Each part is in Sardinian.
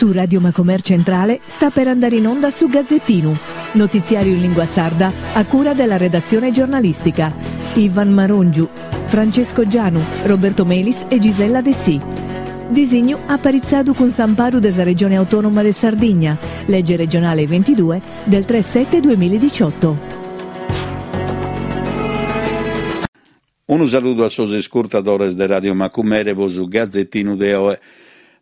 Su Radio Macomer Centrale sta per andare in onda su Gazzettinu, notiziario in lingua sarda a cura della redazione giornalistica. Ivan Marongiu, Francesco Gianu, Roberto Melis e Gisella Dessì. Disignu aparitzadu cun s'amparu de sa Regione Autonoma de Sardigna, lege regionale 22 del 3 7 2018. Unu saludu a sos iscurtadores de Radio Macumere po su Gazettinu de oe.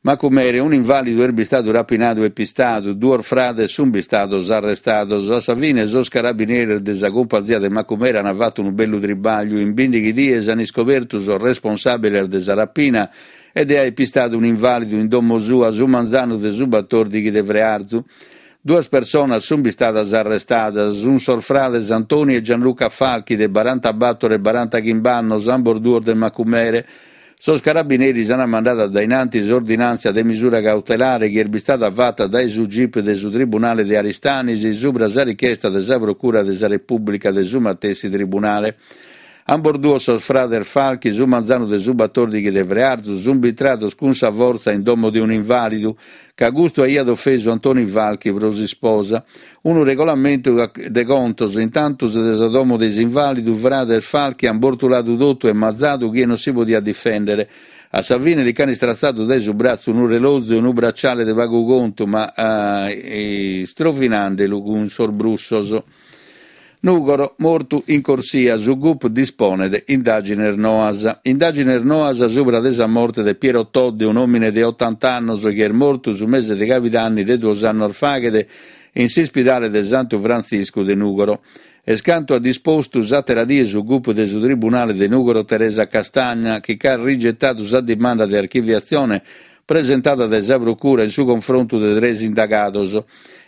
Macumere, un'invàlidu est bistadu rapinadu e pistadu, duos frades sunt bistados arrestados. A sa fine sos carabineris de sa cumpanzia de Macumere ant fatu unu bellu tribagliu, in bìndighi dies ant iscobertu sos responsàbiles de sa rapina e de aer pistadu un'invàlidu in domo sua su manzanu de su batòrdighi de frearzu. Duas personas sunt bistadas arrestadas, sunt sos frades Antoni e Gianluca Falchi de barantabator e barantachimb'annos, ambos duos de Macumere. Sos carabineris ant mandadu a dae in antis s'ordinàntzia de misura cautelare chi est bistada fata dae su gip de su Tribunale de Aristanis subra sa richiesta de sa Procura de sa Repùblica de su matessi Tribunale. Ambos duos sos frades Falchi su manzanu de su batòrdighi de frearzu sunt bintrados cun sa fortza in domo de un'invàlidu, ca custu aiat ofesu Antoni Falchi pro s'isposa. Unu regolamentu de contos, intantus de sa domo de s'invàlidu, frades Falchi ant bortuladu totu e mazadu chie non si podiat difèndere. A sa fine li ch'ant istratzadu dae su bratzu unu relozu e unu bracciale de pagu contu, ma istrovinandelu cun sos brussos. Nùgoro, mortu in corsia, su gup disponet indàgines noas. Indàgines noas subra de sa morte de Piero Todde, un'òmine de otanta annos chi est mortu su mese de cabidanni de duos annos faghet in s'ispidale de Santu Frantziscu de Nùgoro. Est cantu at dispostu s'àtera die su gup de su Tribunale de Nùgoro Teresa Castagna, chi ch'at rigetadu sa dimanda de archiviatzione presentada dae sa Procura in su confrontu de tres indagados.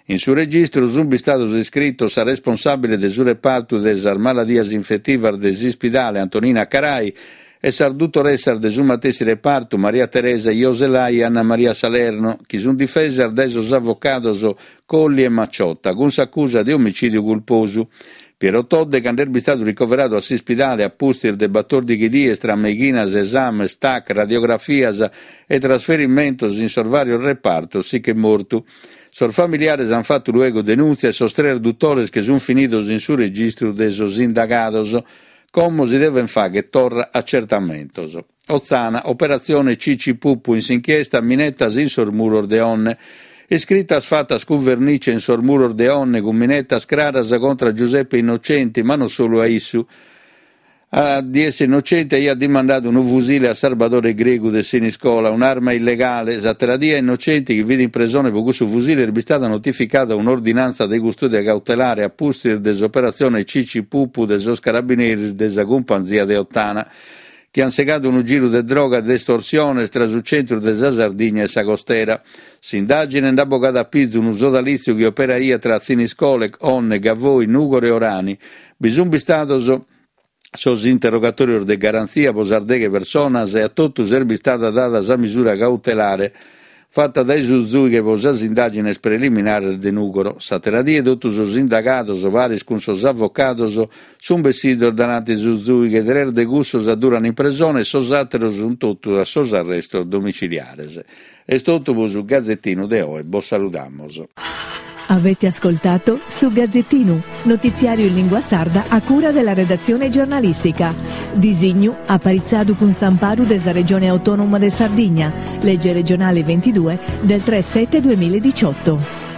In su registru sunt bistados iscritos sa responsàbile de su repartu de sas maladias infetivas de s'ispidale Antonina Carai e sas dutoressas de su matessi repartu Maria Teresa Joselai e Anna Maria Salerno, chi sunt difesas dae sos avocados Colli e Macciotta, cun s'acusa de omicìdiu culposu. Piero Todde, cando est bistadu ricoveradu a s'ispidale a pustis de batòrdighi dies tra meighinas, esames, tac, radiografias e trasferimentos in sos vàrios repartos, si ch'est mortu. Sos familiares ant fatu luego denùntzia e sos tres dutores che sunt finidos in su registru de sos indagados. Como si devent fàghere torra acertamentos. Otzana, operatzione Cici Pupu in s'inchiesta minetas in sos muros de Onne. Iscritas fatas cun vernice in sos muros de Onne cun minetas craras contra Giuseppe Innocenti, ma non solu a issu. A dies Innocenti aiat dimandadu unu fusile a Sarbadore Gregu de Siniscola, un'arma illegale. S'àtera die a Innocenti, chi fit in presone pro cussu fusile, est bistada notificada un'ordinantza de custòdia cautelare a pustis de s'operatzione Cici Pupu de sos carabineris de sa cumpanzia de Ottana, chi ant segadu unu giru de droga e de estorsiones tra su centru de sa Sardigna e sa costera. S'indàgine nd'at bogadu a pizu unu sodalìtziu chi operaiat tra Thiniscole, Onne, Gavoi, Nùgoro e Orani. Bi sunt bistados sos interrogatòrios de garantzia pro sas deghe personas e a totus est bistada dada sa misura cautelare fata dae su zùighe pro sas indàgines preliminares de Nùgoro. S'àtera die totu sos indagados, paris cun sos avocados, sunt bessidos dananti su zùighe, tres de cussos adduran in presone e sos àteros sunt totu a sos arrestos domiciliares. Est totu pro su Gazetinu de oe, bos saludamus. Avete ascoltato Su Gazzettinu, notiziario in lingua sarda a cura della redazione giornalistica. Disignu aparitzadu cun s'amparu de sa Regione Autonoma de Sardigna, legge regionale 22 del 3 7 2018.